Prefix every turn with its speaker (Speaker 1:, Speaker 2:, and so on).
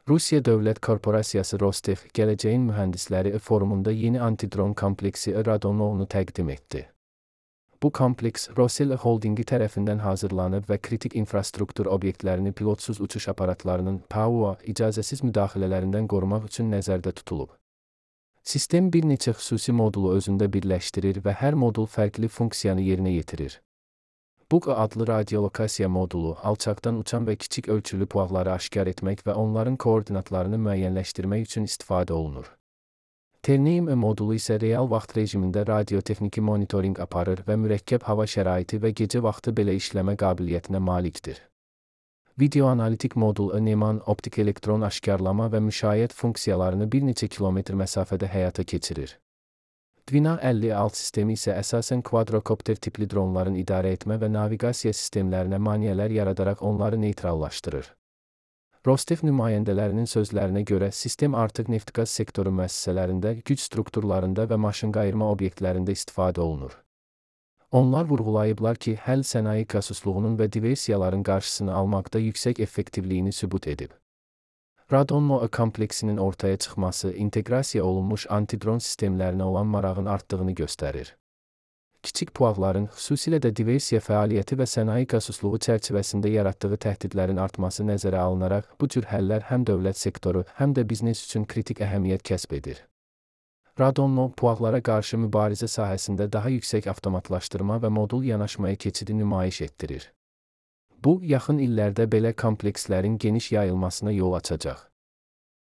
Speaker 1: Rusiya Dövlət Korporasiyası Rostev, Gələcəyin Mühəndisləri forumunda yeni antidron kompleksi Radon-u təqdim etdi. Bu kompleks Rosel Holdingi tərəfindən hazırlanıb və kritik infrastruktur obyektlərini pilotsuz uçuş aparatlarının PAUA icazəsiz müdaxilələrindən qorumaq üçün nəzərdə tutulub. Sistem bir neçə xüsusi modulu özündə birləşdirir və hər modul fərqli funksiyanı yerinə yetirir. BUG adlı radiolokasiya modulu alçaqdan uçan və kiçik ölçülü puaqları aşkar etmək və onların koordinatlarını müəyyənləşdirmək üçün istifadə olunur. Terneim modulu isə real vaxt rejimində radiotexniki monitorinq aparır və mürəkkəb hava şəraiti və gecə vaxtı belə işləmə qabiliyyətinə malikdir. Videoanalitik modul Neman optik elektron aşkarlama və müşayiət funksiyalarını bir neçə kilometr məsafədə həyata keçirir. Dwina 56 sistemi isə əsasən kvadrokopter tipli dronların idarə etmə və naviqasiya sistemlərinə maneələr yaradaraq onları neytrallaşdırır. Rostev nümayəndələrinin sözlərinə görə sistem artıq neft-qaz sektoru müəssisələrində, güc strukturlarında və maşınqayırma obyektlərində istifadə olunur. Onlar vurğulayıblar ki, həll sənaye kasusluğunun və diversiyaların qarşısını almaqda yüksək effektivliyini sübut edib. Radon-u kompleksinin ortaya çıxması inteqrasiya olunmuş antidron sistemlərinə olan marağın artdığını göstərir. Kiçik puaqların, xüsusilə də diversiya fəaliyyəti və sənaye kasusluğu çərçivəsində yaratdığı təhdidlərin artması nəzərə alınaraq, bu cür həllər həm dövlət sektoru, həm də biznes üçün kritik əhəmiyyət kəsb edir. Radon-u puaqlara qarşı mübarizə sahəsində daha yüksək avtomatlaşdırma və modul yanaşmaya keçidi nümayiş etdirir. Bu, yaxın illərdə belə komplekslərin geniş yayılmasına yol açacaq.